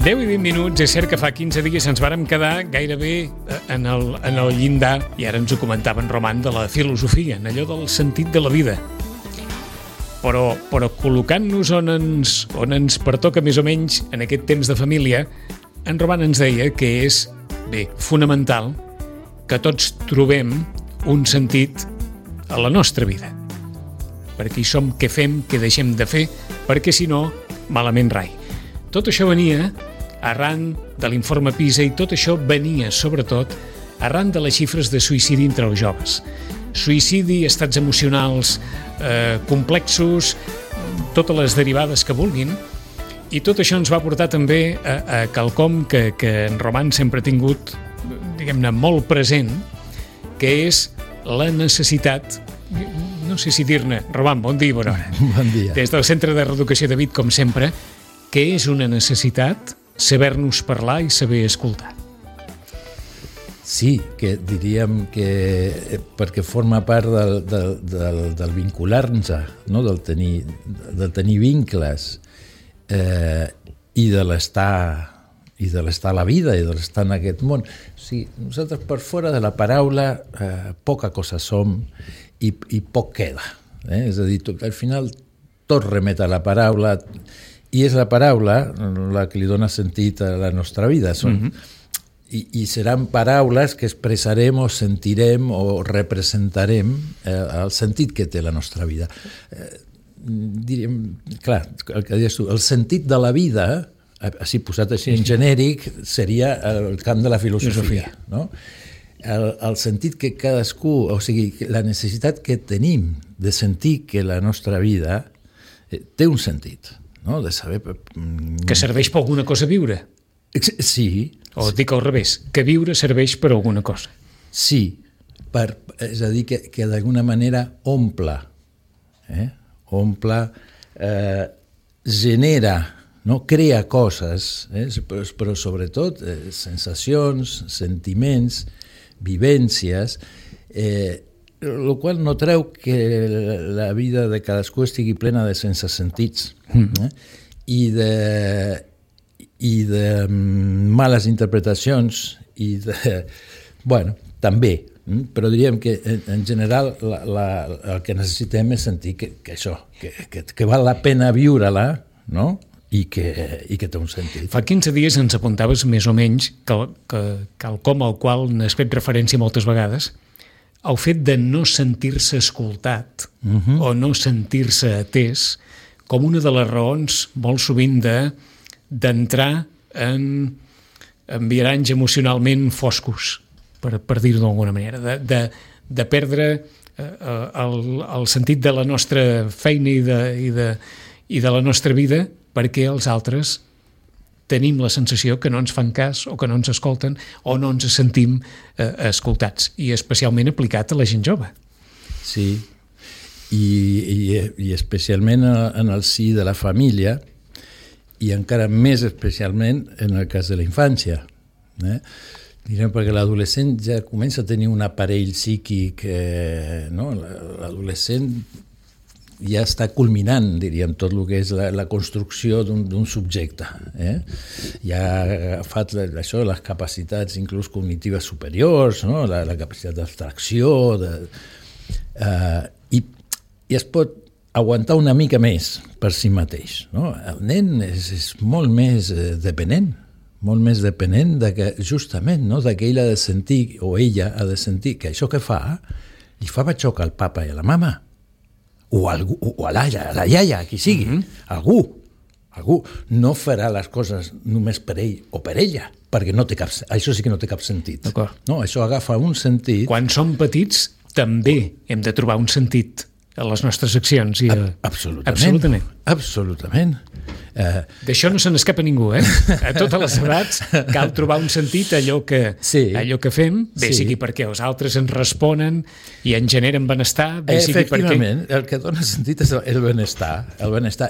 10 i 20 minuts, és cert que fa 15 dies ens vàrem quedar gairebé en el llindar, i ara ens ho comentava en Roman, de la filosofia, en allò del sentit de la vida. Però col·locant-nos on ens pertoca més o menys en aquest temps de família, en Roman ens deia que és, bé, fonamental que tots trobem un sentit a la nostra vida. Perquè hi som, què fem, què deixem de fer, perquè si no, malament rai. Tot això venia arran de l'informe PISA i tot això venia, sobretot, arran de les xifres de suïcidi entre els joves. Suïcidi, estats emocionals complexos, totes les derivades que vulguin, i tot això ens va portar també a quelcom que en Roman sempre ha tingut, diguem-ne, molt present, que és la necessitat, no sé si dir-ne, Roman, bon dia i bona hora. Bon dia. Des del Centre de Reeducació de Vic, com sempre, que és una necessitat saber-nos parlar i saber escoltar. Sí, que diríem que perquè forma part del vincular-nos, no? del tenir vincles i de l'estar a la vida i de l'estar en aquest món. O sigui, nosaltres per fora de la paraula poca cosa som i poc queda. És a dir, al final tot remet a la paraula i és la paraula la que li dona sentit a la nostra vida. I seran paraules que expressarem o sentirem o representarem el sentit que té la nostra vida. Diríem, clar, el que deies tu, el sentit de la vida, així posat així en genèric, seria el camp de la filosofia. No? El sentit que cadascú, o sigui, la necessitat que tenim de sentir que la nostra vida té un sentit, no? De saber... Que serveix per alguna cosa viure. Sí. O dic al revés, que viure serveix per alguna cosa. Sí, és a dir, que d'alguna manera omple, genera, no? Crea coses, però sobretot sensacions, sentiments, vivències, el qual no treu que la vida de cadascú estigui plena de sense sentits i de males interpretacions i de... Bueno, també, però diríem que en general el que necessitem és sentir que això, que val la pena viure-la, no? I que té un sentit. Fa 15 dies ens apuntaves més o menys quelcom al qual n'has fet referència moltes vegades, el fet de no sentir-se escoltat o no sentir-se atès com una de les raons molt sovint d'entrar en viaranys emocionalment foscos, per dir-ho d'alguna manera, de perdre el sentit de la nostra feina i de la nostra vida perquè els altres tenim la sensació que no ens fan cas o que no ens escolten o no ens sentim escoltats, i especialment aplicat a la gent jove. Sí, i especialment en el si de la família i encara més especialment en el cas de la infància. Direm, perquè l'adolescent ja comença a tenir un aparell psíquic, no? L'adolescent ja està culminant, diríem, tot el que és la construcció d'un subjecte. Ja ha agafat això, les capacitats inclús cognitives superiors, no? La capacitat d'abstracció, i es pot aguantar una mica més per si mateix. No? El nen és molt més dependent de que, justament, no? De que ell ha de sentir, o ella ha de sentir, que això que fa li fa xoc al papa i a la mama, o a la iaia, qui sigui, algú no farà les coses només per ell o per ella, perquè això sí que no té cap sentit. No, això agafa un sentit... Quan som petits també hem de trobar un sentit a les nostres accions. Absolutament. D'això no se n'escapa ningú, A totes les edats cal trobar un sentit a allò que fem, bé sigui perquè els altres ens responen i ens generen benestar, bé sigui perquè... Efectivament, el que dona sentit és el benestar.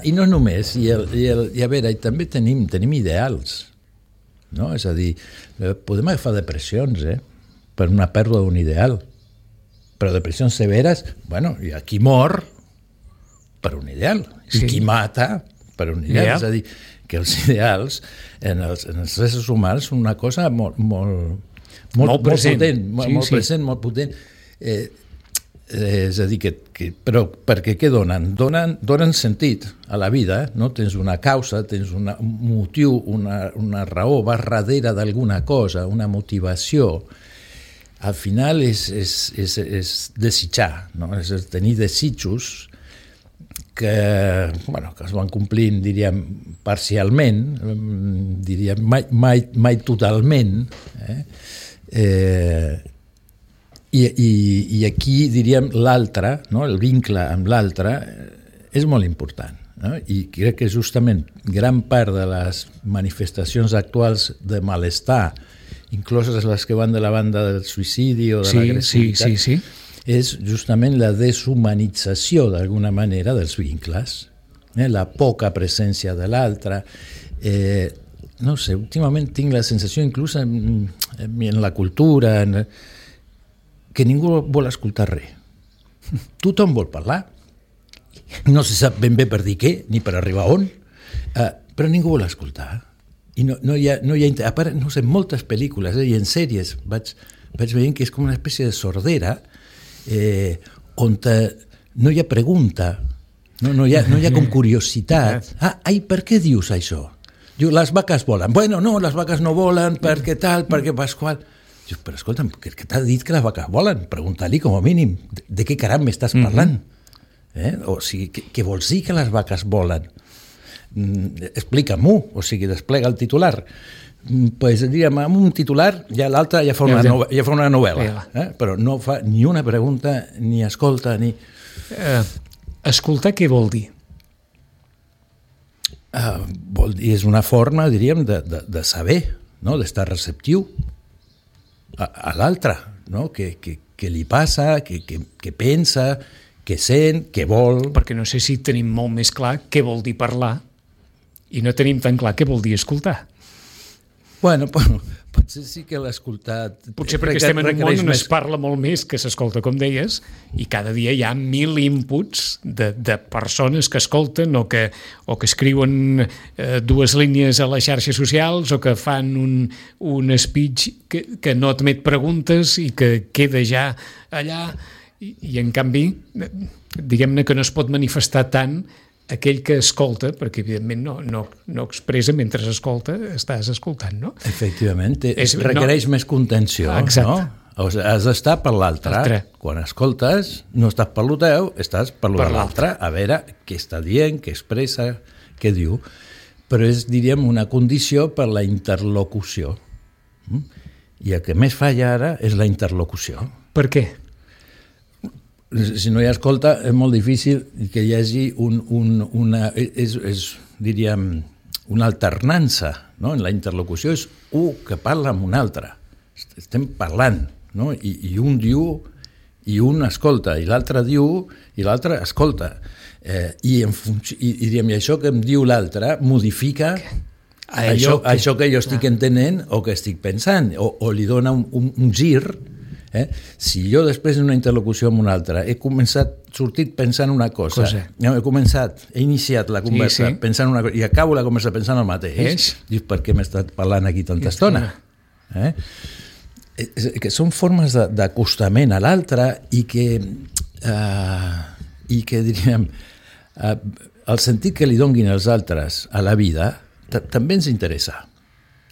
I no només, i a veure, també tenim ideals, no? És a dir, podem agafar depressions, per una pèrdua d'un ideal, però depressions severes, bueno, hi ha qui mor per un ideal, i qui mata per un ideal. Yeah. És a dir, que els ideals en els éssers humans són una cosa molt present. molt present, molt potent. És a dir, però perquè què donen? Donen sentit a la vida, no? Tens una causa, tens un motiu, una raó, vas darrere d'alguna cosa, una motivació. Al final és desitjar, no? És tenir desitjos que es van complint, diríem, parcialment, diríem, mai totalment, I aquí, diríem, l'altre, no? El vincle amb l'altre és molt important, no? I crec que justament gran part de les manifestacions actuals de malestar, incloses les que van de la banda del suïcidi o de l'agressivitat, és justament la deshumanització, d'alguna manera, dels vincles, la poca presència de l'altre. No sé, últimament tinc la sensació, inclús en la cultura, que ningú vol escoltar res. Tothom vol parlar. No se sap ben bé per dir què, ni per arribar on, però ningú vol escoltar. I no hi ha a part, no sé, moltes pel·lícules i en sèries vaig veient que és com una espècie de sordera on no hi ha pregunta, no hi ha com curiositat. Ai, per què dius això? Diu, les vaques volen. Bueno, no, les vaques no volen, perquè tal, perquè pasqual. Diu, però escolta'm, que t'ha dit que les vaques volen? Pregunta-li com a mínim, de què caram m'estàs parlant? O sigui, què vols dir que les vaques volen? Explica-m'ho, o sigui, desplega el titular. Pues, diríem, amb un titular, ja l'altre ja fa una novel·la, però no fa ni una pregunta, ni escolta, ni... Escoltar què vol dir? Vol dir, és una forma, diríem, de saber, no? D'estar receptiu a l'altre, no? Què li passa, què pensa, què sent, què vol... Perquè no sé si tenim molt més clar què vol dir parlar i no tenim tan clar què vol dir escoltar. Bueno, potser sí que l'escoltat... Potser perquè estem en un món on es parla molt més que s'escolta, com deies, i cada dia hi ha 1000 inputs de persones que escolten o que escriuen 2 línies a les xarxes socials o que fan un speech que no admet preguntes i que queda ja allà i en canvi, diguem-ne que no es pot manifestar tant aquell que escolta, perquè evidentment no expressa mentre escolta, estàs escoltant, no? Efectivament, requereix més contenció, no? O sigui, has d'estar per l'altre. Quan escoltes, no estàs per lo teu, estàs per lo de l'altre, a veure què està dient, què expressa, què diu. Però és, diríem, una condició per la interlocució. I el que més falla ara és la interlocució. Per què? Si no hi ha escolta, és molt difícil que hi hagi diríem, una alternança, no? En la interlocució és un que parla amb un altre. Estem parlant, no? I un diu i un escolta, i l'altre diu i l'altre escolta. I això que em diu l'altre modifica això que jo estic entenent o que estic pensant, o li dona un gir. Si jo després d'una interlocució amb un altre he sortit pensant una cosa. He iniciat la conversa pensant una cosa i acabo la conversa pensant el mateix, dius, per què m'he estat parlant aquí tanta estona? Que són formes d'acostament a l'altre i que diríem, el sentit que li donin els altres a la vida també ens interessa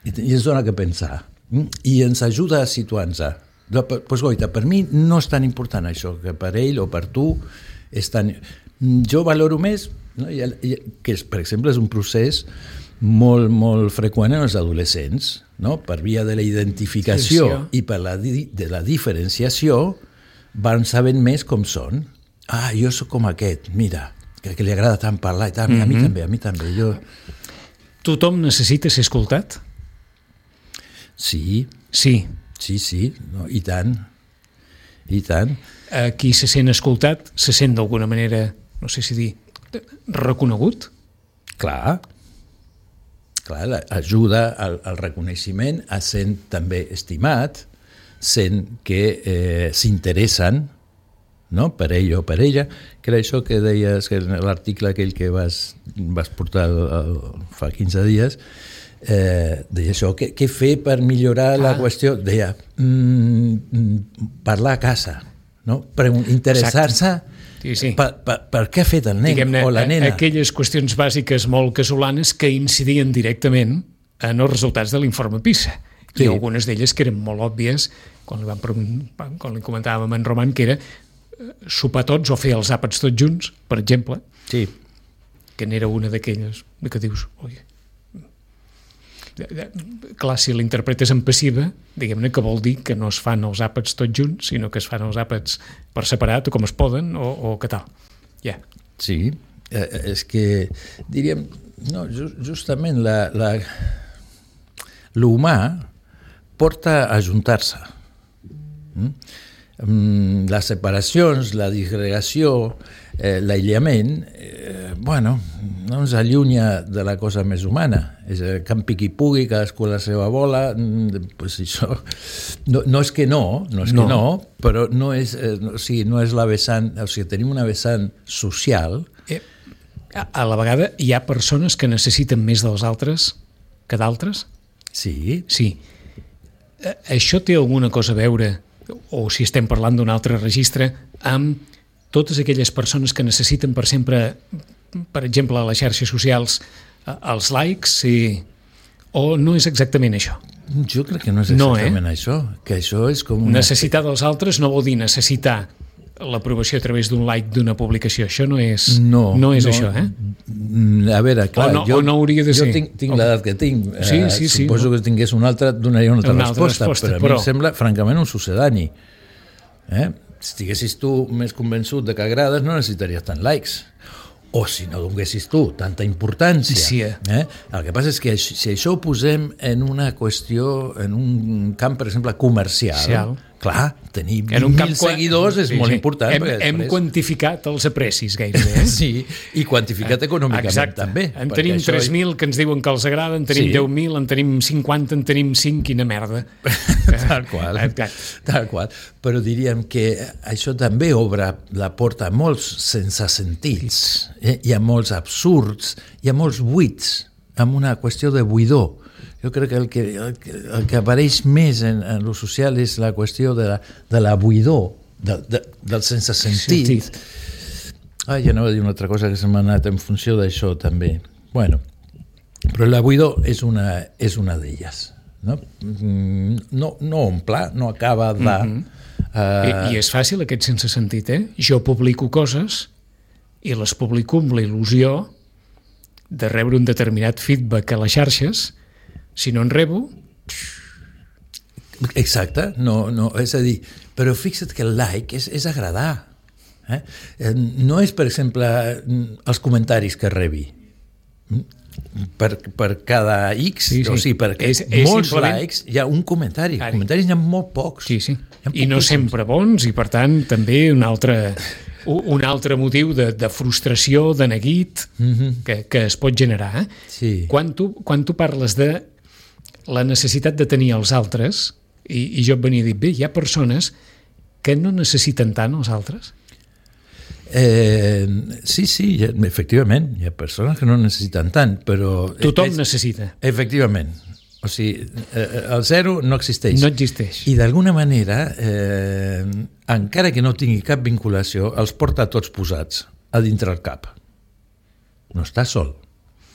i ens dona que pensar i ens ajuda a situar-nos. Pues, goita, per mi no és tan important això, que per ell o per tu és tan... Jo valoro més, no? Que per exemple és un procés molt, molt freqüent en els adolescents, no? Per via de la identificació i per de la diferenciació van sabent més com són. Jo sóc com aquest, mira, que li agrada tant parlar i tant, a mi també. Tothom necessita ser escoltat? Sí. Sí, no, i tant. Qui se sent escoltat se sent d'alguna manera, no sé si dir, reconegut? Clar, ajuda al reconeixement, sent també estimat, sent que s'interessen, no? Per ell o per ella, que era això que deies, que l'article aquell que vas portar fa 15 dies, deia això, què fer per millorar la qüestió? Deia, parlar a casa, no? Interessar-se per què ha fet el nen o la nena. Aquelles qüestions bàsiques molt casolanes que incidien directament en els resultats de l'informe PISA. I algunes d'elles que eren molt òbvies, quan li comentàvem en Roman, que era sopar tots o fer els àpats tots junts, per exemple, que n'era una d'aquelles que dius, oi, clar, si l'interpretes en passiva, diguem-ne que vol dir que no es fan els àpats tots junts, sinó que es fan els àpats per separat o com es poden o què tal. Sí, és que diríem, no, justament l'humà porta a ajuntar-se. Les separacions, la disgregació, l'aïllament, bueno, no ens allunya de la cosa més humana. És que en piqui pugui, cadascú a la seva bola, pues això no és que no, però no és la vessant, o sigui, tenim una vessant social. A la vegada hi ha persones que necessiten més dels altres que d'altres? Sí. Sí. Això té alguna cosa a veure, o si estem parlant d'un altre registre, amb totes aquelles persones que necessiten per sempre, per exemple, a les xarxes socials, els likes, o no és exactament això? Jo crec que no és exactament això, que això és com necessitar dels altres no vol dir necessitar l'aprovació a través d'un like d'una publicació. Això no és això, eh? A veure, clar, jo no hauria de ser. Jo tinc l'edat que tinc. Sí, suposo que si tingués una altra, donaria una altra resposta, però a mi em sembla, francament, un sucedani. Si estiguessis tu més convençut de que agrades, no necessitaries tant likes. O si no donessis tu tanta importància. Sí. El que passa és que si això ho posem en una qüestió, en un camp, per exemple, comercial, clar, tenir 20.000 seguidors és molt important. Hem quantificat els aprecis gairebé. Sí, i quantificat econòmicament també. En tenim 3.000 que ens diuen que els agrada, en tenim 10.000, en tenim 50, en tenim 5, quina merda. Tal qual. Però diríem que això també obre la porta a molts sense sentits. Hi ha molts absurds, hi ha molts buits, amb una qüestió de buidor. Jo crec que el que apareix més en lo social és la qüestió de la buidor, del sense sentit. Ja anava a dir una altra cosa que se m'ha anat en funció d'això també. Bueno, però la buidor és una d'elles. No omple, no acaba de... I és fàcil aquest sense sentit, Jo publico coses i les publico amb la il·lusió de rebre un determinat feedback a les xarxes. Si no en rebo... Exacte, no, és a dir, però fixa't que el like és agradar. No és, per exemple, els comentaris que rebi. Per cada X, o sigui, perquè molts likes hi ha un comentari. Comentaris n'hi ha molt pocs. Sí. I no sempre bons, i per tant també un altre motiu de frustració, de neguit, que es pot generar. Quan tu parles de la necessitat de tenir els altres, i jo et venia a dir, bé, hi ha persones que no necessiten tant els altres? Sí, efectivament, hi ha persones que no necessiten tant, però... Tothom necessita. Efectivament. O sigui, el zero no existeix. No existeix. I d'alguna manera, encara que no tingui cap vinculació, els porta tots posats a dintre el cap. No està sol.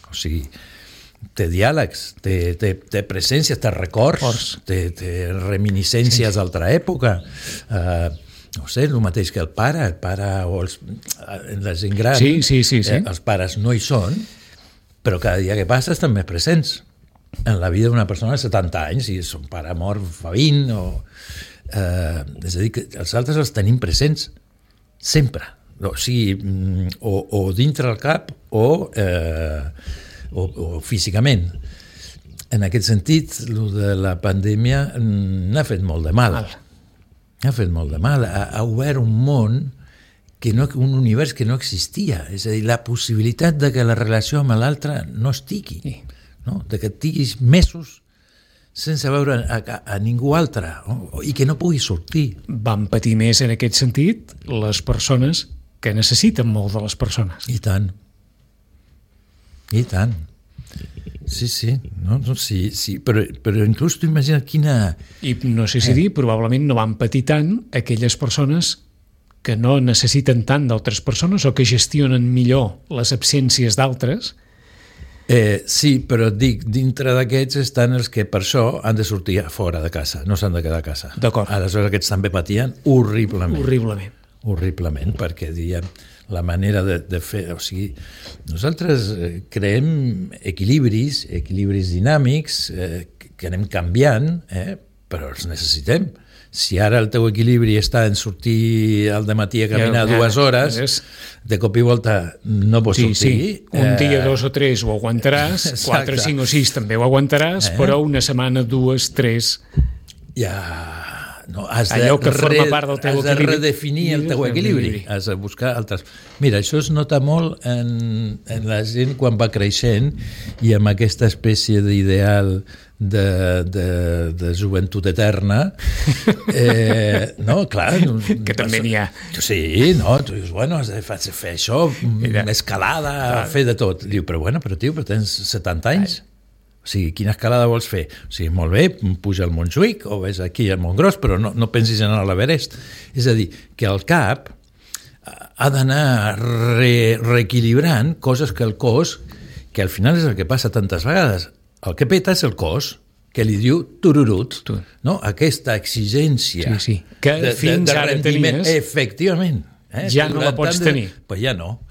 O sigui, té diàlegs, té presències, té records, té reminiscències d'altra època. No sé, el mateix que el pare o la gent gran. Sí. Els pares no hi són, però cada dia que passa estan més presents en la vida d'una persona de 70 anys, i son pare mort fa 20, és a dir, que els altres els tenim presents sempre, o sigui, o dintre el cap o físicament. En aquest sentit, el de la pandèmia n'ha fet molt de mal. Ha fet molt de mal. Ha obert un món, un univers que no existia. És a dir, la possibilitat de que la relació amb l'altre no estigui. No? De que estiguis mesos sense veure a ningú altre, i que no pugui sortir. Van patir més en aquest sentit les persones que necessiten molt de les persones. I tant. I tant. Sí. No, sí. Però inclús tu imagina quina... I no sé si dir, probablement no van patir tant aquelles persones que no necessiten tant d'altres persones o que gestionen millor les absències d'altres. Sí, però et dic, dintre d'aquests estan els que per això han de sortir a fora de casa, no s'han de quedar a casa. D'acord. Aleshores aquests també patien horriblement. Horriblement, perquè diem, la manera de fer... O sigui, nosaltres creem equilibris dinàmics que anem canviant, però els necessitem. Si ara el teu equilibri està en sortir al dematí a caminar 2 hores, de cop i volta no pots sortir. Sí. Un dia, 2 o 3 ho aguantaràs, 4, 5 o 6 també ho aguantaràs, però una setmana, 2, 3... Ja... No, has allò que forma part del teu equilibri. Has de redefinir el teu equilibri, has de buscar altres... Mira, això es nota molt en la gent quan va creixent i amb aquesta espècie d'ideal de joventut eterna. No, clar... Que també n'hi ha. Sí, no, tu dius, bueno, has de fer això, escalada, fer de tot. Diu, però tio, però tens 70 anys. O sigui, quina escalada vols fer? O sigui, molt bé, puja al Montjuïc o ves aquí al Montgros, però no pensis en l'Everest. És a dir, que el cap ha d'anar reequilibrant coses que el cos, que al final és el que passa tantes vegades, el que peta és el cos, que li diu tururut, no? Aquesta exigència que fins ara tenies, efectivament, ja no la pots tenir. Pues ja no.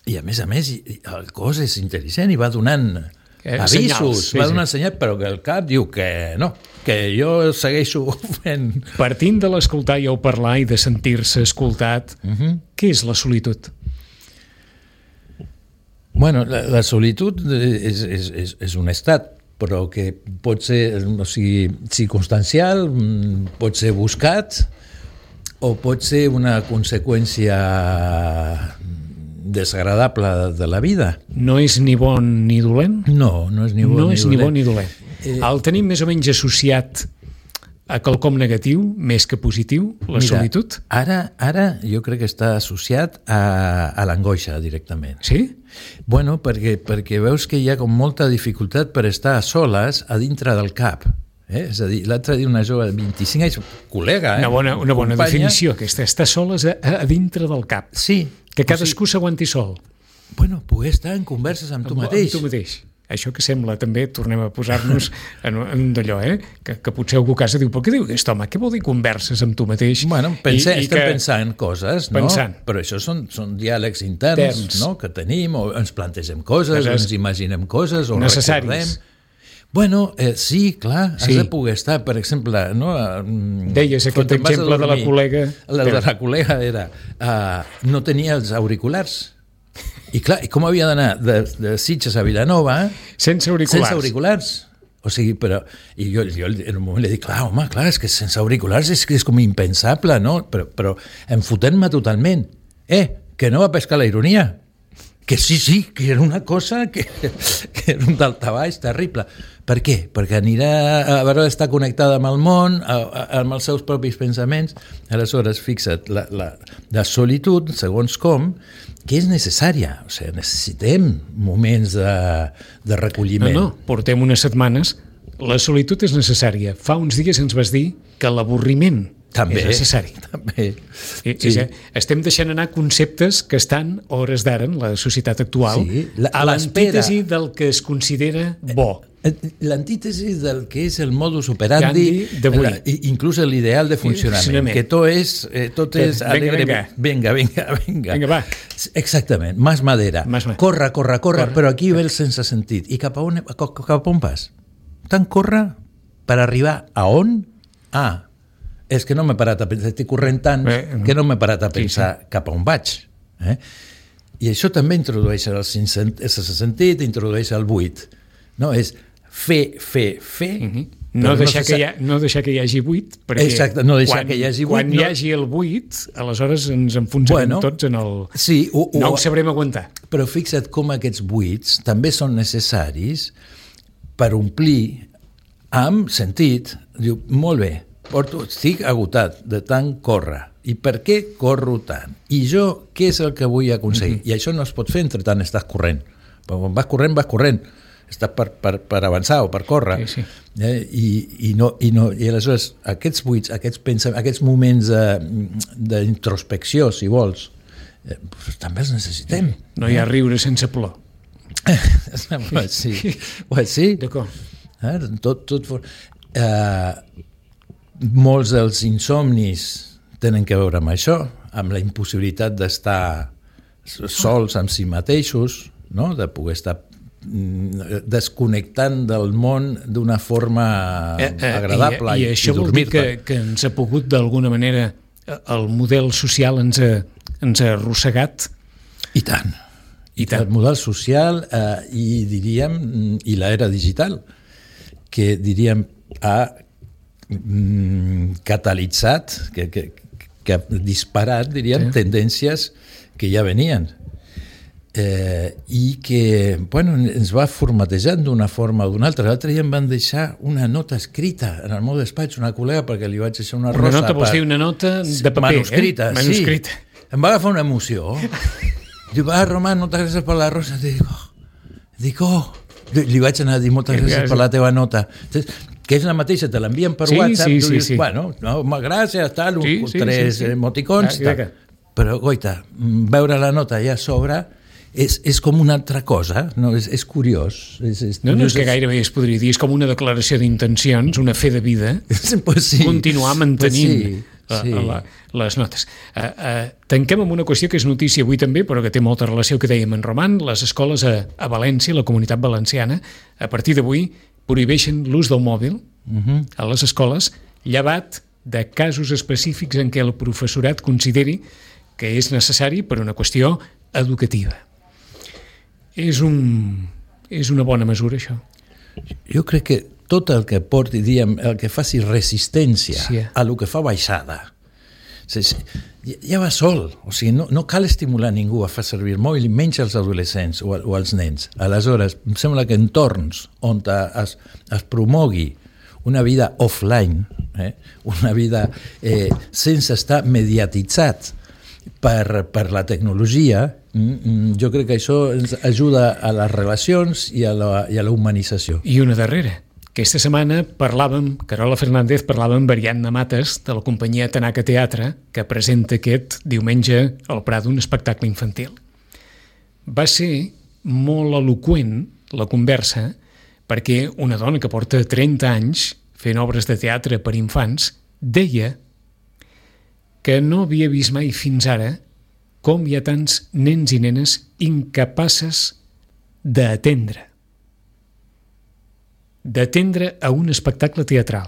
I a més, el cos és intel·ligent i va donant avisos, va donar senyal, però que el cap diu que no, que jo segueixo fent... Partint de l'escoltar i el parlar i de sentir-se escoltat, què és la solitud? Bueno, la solitud és un estat, però que pot ser, o sigui, circumstancial, pot ser buscat, o pot ser una conseqüència desagradable de la vida. No és ni bon ni dolent? No és ni bon ni dolent. El tenim més o menys associat a quelcom negatiu, més que positiu, la solitud? Ara jo crec que està associat a l'angoixa directament. Sí? Bueno, perquè veus que hi ha com molta dificultat per estar a soles a dintre del cap. És a dir, l'altre dia una jove de 25 anys, col·lega... Una bona definició, aquesta, estar soles a dintre del cap. Sí. Que cadascú s'aguanti sol. Bueno, poder estar en converses amb tu mateix. Amb tu mateix. Això que sembla també, tornem a posar-nos en d'allò, que potser algú a casa diu, però què diu aquest home? Què vol dir converses amb tu mateix? Bueno, estem pensant coses, no? Però això són diàlegs interns, no? Que tenim, o ens plantegem coses, o ens imaginem coses, o recordem. Bueno, sí, clar, has de poder estar, per exemple... No? Deies aquest exemple de la col·lega... La de la col·lega era... no tenia els auriculars. I clar, com havia d'anar de Sitges a Vilanova... Sense auriculars. O sigui, però... I jo en un moment li dic, clar, és que sense auriculars és com impensable, no? Però em fotent-me totalment. Que no va pescar la ironia. Que sí, que era una cosa que era un daltabaix terrible. Per què? Perquè anirà a veure d'estar connectada amb el món, amb els seus propis pensaments. Aleshores, fixa't, la solitud, segons com, que és necessària. O sigui, necessitem moments de recolliment. No, portem unes setmanes. La solitud és necessària. Fa uns dies ens vas dir que l'avorriment també, és necessari. També. Sí. Estem deixant anar conceptes que estan, a hores d'ara, en la societat actual, a l'antítesi del que es considera bo. L'antítesi del que és el modus operandi d'avui, inclús l'ideal de funcionament, que tot és alegre. Venga, va. Exactament, más madera. Corre, però aquí ve el sense sentit. I cap a on vas? Tant corre per arribar a on? És que no m'he parat a pensar, estic corrent tant que no m'he parat a pensar cap a on vaig. I això també introdueix el sense sentit, introdueix el buit. No, és fer. No deixar que hi hagi buit, perquè quan hi hagi el buit, aleshores ens enfonsarem tots en el... No ho sabrem aguantar. Però fixa't com aquests buits també són necessaris per omplir amb sentit, diu, molt bé, estic agotat de tant córrer. I per què corro tant? I jo, què és el que vull aconseguir? I això no es pot fer entre tant estàs corrent. Quan vas corrent. Estàs per avançar o per córrer. Sí. I aleshores aquests buits, aquests moments d'introspecció, si vols, també els necessitem. No hi ha riure sense plor. Sí. D'acord. Molts dels insomnis tenen a veure amb això, amb la impossibilitat d'estar sols amb si mateixos, no? De poder estar desconnectant del món d'una forma agradable i això vol dir que ens ha pogut d'alguna manera el model social ens ha arrossegat. I tant. El model social i diríem i l'era digital que diríem ha catalitzat que ha disparat, diríem, tendències que ja venien i que ens va formatejant d'una forma o d'una altra. L'altre dia em van deixar una nota escrita en el meu despatx, una col·lega, perquè li vaig deixar una rosa. Una nota, vols dir una nota de paper, manuscrita, manuscrita. Sí. Em va agafar una emoció. Diu, Román, moltes gràcies per la rosa. Dic, li vaig anar a dir moltes gràcies per la teva nota. Que és la mateixa, te l'envien per WhatsApp, tu dius, bueno, gràcies, tal, tres emoticons, tal. Però, goita, veure la nota allà a sobre és com una altra cosa, no? És curiós. No, és que gairebé es podria dir, és com una declaració d'intencions, una fe de vida, continuar mantenint les notes. Tanquem amb una qüestió que és notícia avui també, però que té molta relació que dèiem en Roman. Les escoles a València, la Comunitat Valenciana, a partir d'avui prohibeixen l'ús del mòbil a les escoles, llevat de casos específics en què el professorat consideri que és necessari per una qüestió educativa. És una bona mesura, això. Jo crec que tot el que porti, diguem, el que faci resistència a el que fa baixada, ja va sol. O sigui, no cal estimular ningú a fer servir el mòbil, menys els adolescents o els nens. Aleshores, em sembla que entorns on es promogui una vida offline, una vida sense estar mediatitzat per la tecnologia, jo crec que això ens ajuda a les relacions i a la humanització. I una darrera. Aquesta setmana Carola Fernández parlava amb Ariadna Mates de la companyia Tanaka Teatre, que presenta aquest diumenge al Prado un espectacle infantil. Va ser molt eloqüent la conversa perquè una dona que porta 30 anys fent obres de teatre per infants deia que no havia vist mai fins ara com hi ha tants nens i nenes incapaces d'atendre a un espectacle teatral.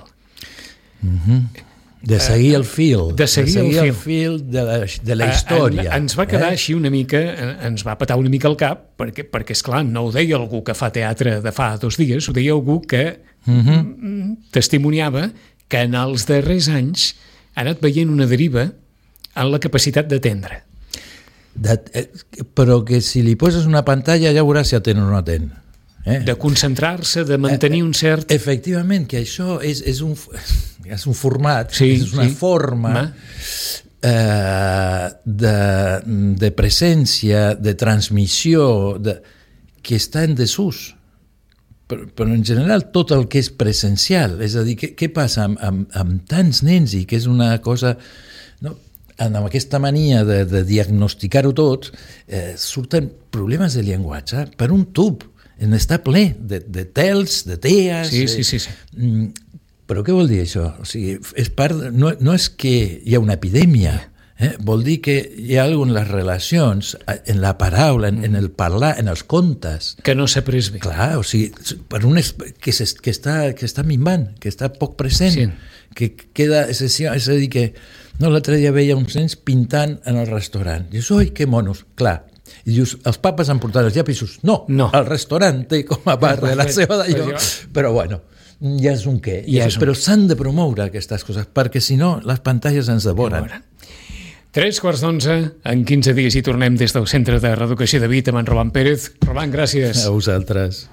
De seguir el fil. De seguir el fil de la història. Ens va quedar així una mica, ens va petar una mica el cap, perquè esclar, no ho deia algú que fa teatre de fa 2 dies, ho deia algú que testimoniava que en els darrers anys ha anat veient una deriva en la capacitat d'atendre. Però que si li poses una pantalla ja veuràs si atén o no atén. De concentrar-se, de mantenir un cert... Efectivament, que això és un format, és una forma de presència, de transmissió, que està en desús. Però en general tot el que és presencial, és a dir, què passa amb tants nens i que és una cosa... Amb aquesta mania de diagnosticar-ho tot, surten problemes de llenguatge per un tub. Està ple de tels, de tees... Sí. Però què vol dir això? O sigui, no és que hi ha una epidèmia, vol dir que hi ha alguna en les relacions, en la paraula, en el parlar, en els contes... Que no s'ha pres bé. Clar, o sigui, que està minvant, que està poc present, que queda... És a dir, que l'altre dia veia uns nens pintant en el restaurant. Dius, oi, que monos, clar. I dius, els papes han portat els llapis? No, el restaurant té com a part de la seva d'allò, però bueno, ja és un què. Però s'han de promoure aquestes coses, perquè si no, les pantalles ens devoren. 11:03, en 15 dies hi tornem des del Centre de Reeducació de Vic amb en Roman Pérez. Roman, gràcies. A vosaltres.